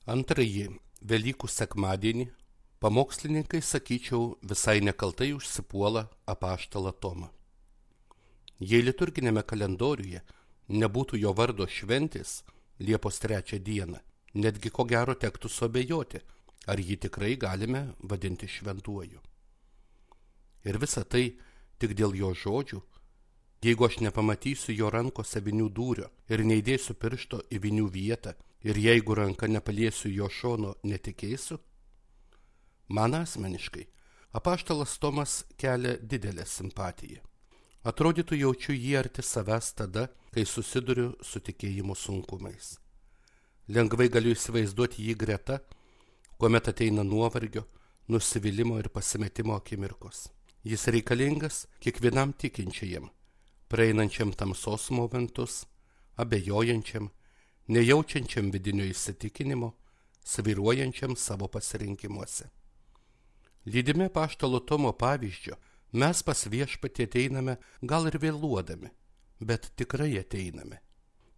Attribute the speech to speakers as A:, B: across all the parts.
A: Antrąjį Velykų sekmadienį pamokslininkai, sakyčiau, visai nekaltai užsipuola apaštalą Tomą. Jei liturginėme kalendoriuje nebūtų jo vardo šventės Liepos 3 dieną, netgi ko gero tektų suabejoti, ar jį tikrai galime vadinti šventuoju. Ir visa tai tik dėl jo žodžių. Jeigu aš nepamatysiu jo rankose vinių dūrio ir neįdėsiu piršto į vinių vietą, ir jeigu ranka nepaliesiu jo šono, netikėsiu? Man asmeniškai apaštalas Tomas kelia didelę simpatiją. Atrodytų, jaučiu jį arti savęs tada, kai susiduriu su tikėjimo sunkumais. Lengvai galiu įsivaizduoti jį greta, kuomet ateina nuovargio, nusivylimo ir pasimetimo akimirkos. Jis reikalingas kiekvienam tikinčiajam, praeinančiam tamsos momentus, abejojančiam, nejaučiančiam vidinio įsitikinimo, svyruojančiam savo pasirinkimuose. Lydimi apaštalo Tomo pavyzdžio, mes pas Viešpatį ateiname gal ir vėluodami, bet tikrai ateiname.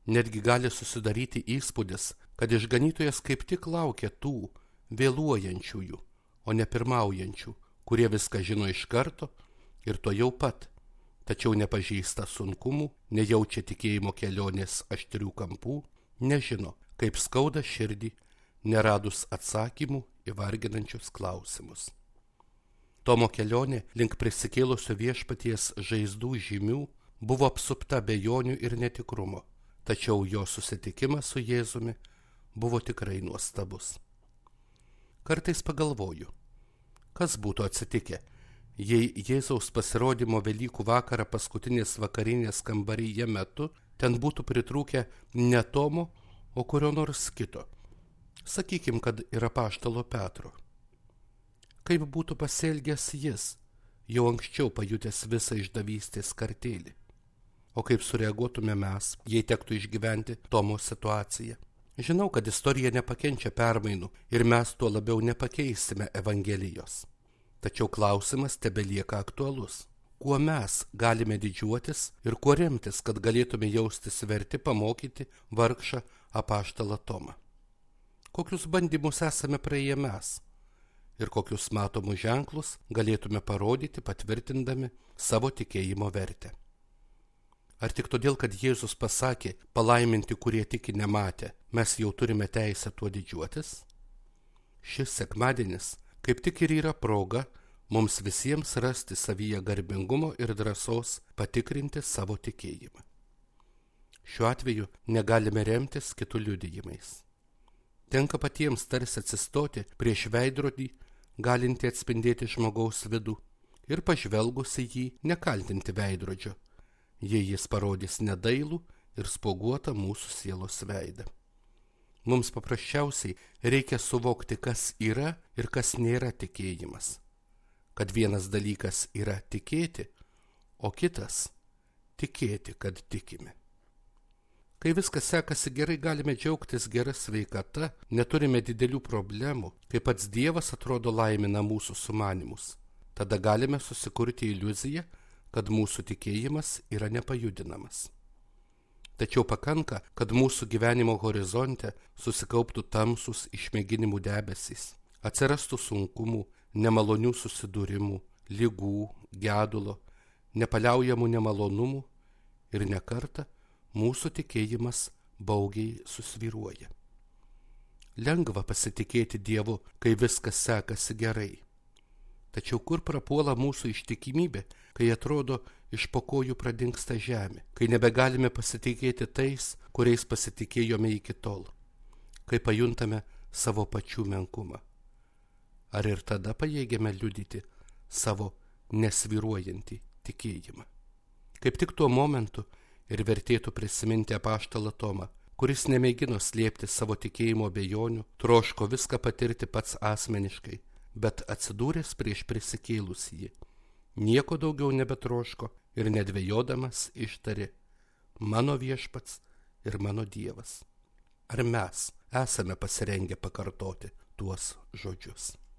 A: Netgi gali susidaryti įspūdis, kad išganytojas kaip tik laukia tų vėluojančiųjų, o ne pirmaujančių, kurie viską žino iš karto ir to jau pat, tačiau nepažįsta sunkumų, nejaučia tikėjimo kelionės aštrių kampų, nežino, kaip skauda širdį, neradus atsakymų į varginančius klausimus. Tomo kelionė link prisikėlusio Viešpaties žaizdų žymių buvo apsupta abejonių ir netikrumo, tačiau jo susitikimas su Jėzumi buvo tikrai nuostabus. Kartais pagalvoju, kas būtų atsitikę, jei Jėzaus pasirodymo Velykų vakarą paskutinės vakarinės kambaryje metu ten būtų pritrūkę ne Tomo, o kurio nors kito. Sakykim, kad ir apaštalo Petro. Kaip būtų pasielgęs jis, jau anksčiau pajutęs visą išdavystės kartėlį? O kaip sureaguotume mes, jei tektų išgyventi Tomo situaciją? Žinau, kad istorija nepakenčia permainų ir mes tuo labiau nepakeisime Evangelijos. Tačiau klausimas tebelieka aktualus. Kuo mes galime didžiuotis ir kuo remtis, kad galėtume jaustis verti pamokyti vargšą apaštalą Tomą? Kokius bandymus esame praėję mes ir kokius matomus ženklus galėtume parodyti, patvirtindami savo tikėjimo vertę? Ar tik todėl, kad Jėzus pasakė palaiminti, kurie tiki nematę, mes jau turime teisę tuo didžiuotis? Šis sekmadienis kaip tik ir yra proga mums visiems rasti savyje garbingumo ir drąsos patikrinti savo tikėjimą. Šiuo atveju negalime remtis kitų liudijimais. Tenka patiems tarsi atsistoti prieš veidrodį, galinti atspindėti žmogaus vidų, ir pažvelgus į jį nekaltinti veidrodžio, jei jis parodys nedailų ir spuoguotą mūsų sielos veidą. Mums paprasčiausiai reikia suvokti, kas yra ir kas nėra tikėjimas. Kad vienas dalykas yra tikėti, o kitas tikėti, kad tikime. Kai viskas sekasi gerai, galime džiaugtis gera sveikata, neturime didelių problemų, kai pats Dievas atrodo laimina mūsų sumanymus. Tada galime susikurti iliuziją, kad mūsų tikėjimas yra nepajudinamas. Tačiau pakanka, kad mūsų gyvenimo horizonte susikauptų tamsus išmėginimų debesys, atsirastų sunkumų, nemalonių susidūrimų, ligų, gedulo, nepaliaujamų nemalonumų ir nekartą mūsų tikėjimas baugiai susvyruoja. Lengva pasitikėti Dievu, kai viskas sekasi gerai. Tačiau kur prapuola mūsų ištikimybė, kai atrodo iš po kojų pradingsta žemė, kai nebegalime pasitikėti tais, kuriais pasitikėjome iki tol, kai pajuntame savo pačių menkumą? Ar ir tada pajėgiame liudyti savo nesvyruojantį tikėjimą? Kaip tik tuo momentu ir vertėtų prisiminti apaštalą Tomą, kuris nemėgino slėpti savo tikėjimo abejonių, troško viską patirti pats asmeniškai, bet atsidūręs prieš prisikėlusįjį, nieko daugiau nebetroško ir nedvejodamas ištarė: mano Viešpats ir mano Dievas. Ar mes esame pasirengę pakartoti tuos žodžius?